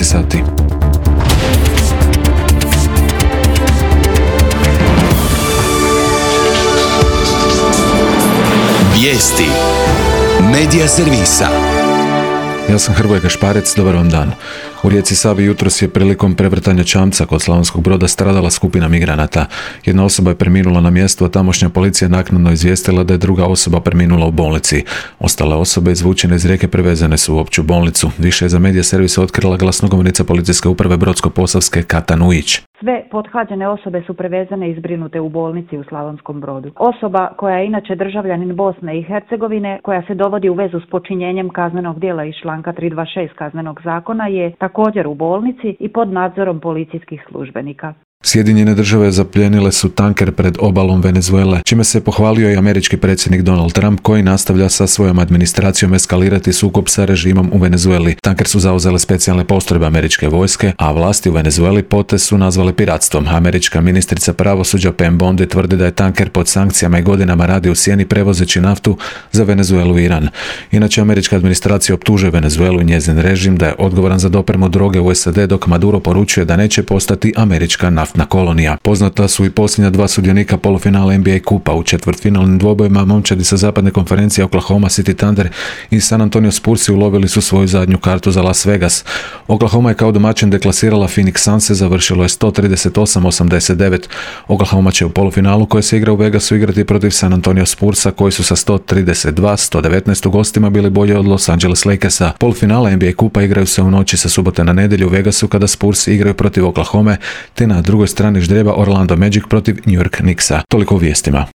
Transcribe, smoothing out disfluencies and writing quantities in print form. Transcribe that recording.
12 sati. Vijesti Medija servisa. Ja sam Hrvoje Gašparec, dobar vam dan. U rijeci Savi jutros je prilikom prevrtanja čamca kod Slavonskog Broda stradala skupina migranata. Jedna osoba je preminula na mjestu, a tamošnja policija naknadno izvijestila da je druga osoba preminula u bolnici. Ostale osobe izvučene iz rijeke prevezene su u opću bolnicu. Više je za Medija servis otkrila glasnogovornica policijske uprave Brodsko-posavske Kata Nujić. Sve pothlađene osobe su prevezene i zbrinute u bolnici u Slavonskom Brodu. Osoba koja je inače državljanin Bosne i Hercegovine, koja se dovodi u vezu s počinjenjem kaznenog djela iz članka 326 Kaznenog zakona, je također u bolnici i pod nadzorom policijskih službenika. Sjedinjene države zapljenile su tanker pred obalom Venezuele, čime se pohvalio i američki predsjednik Donald Trump, koji nastavlja sa svojom administracijom eskalirati sukob sa režimom u Venezueli. Tanker su zauzele specijalne postrojbe američke vojske, a vlasti u Venezueli potez su nazvale piratstvom. Američka ministrica pravosuđa Pam Bondi tvrdi da je tanker pod sankcijama i godinama radi u sjeni prevozeći naftu za Venezuelu i Iran. Inače, američka administracija optužuje Venezuelu i njezin režim da je odgovoran za dopremu droge u SAD, dok Maduro poručuje da neće postati američka naftna kolonija. Poznata su i posljednja dva sudionika polufinala NBA kupa. U četvrtfinalnim dvobojima momčadi sa zapadne konferencije Oklahoma City Thunder i San Antonio Spursi ulovili su svoju zadnju kartu za Las Vegas. Oklahoma je kao domaćin deklasirala Phoenix Sunse, završilo je 138-89. Oklahoma će u polufinalu, koje se igra u Vegasu, igrati protiv San Antonio Spursa, koji su sa 132-119 u gostima bili bolji od Los Angeles Lakersa. Polufinala NBA kupa igraju se u noći sa subote na nedjelju u Vegasu, kada Spursi igraju protiv Oklahome, te na drugoj strani ždrijeba Orlando Magic protiv New York Knicksa. Toliko u vijestima.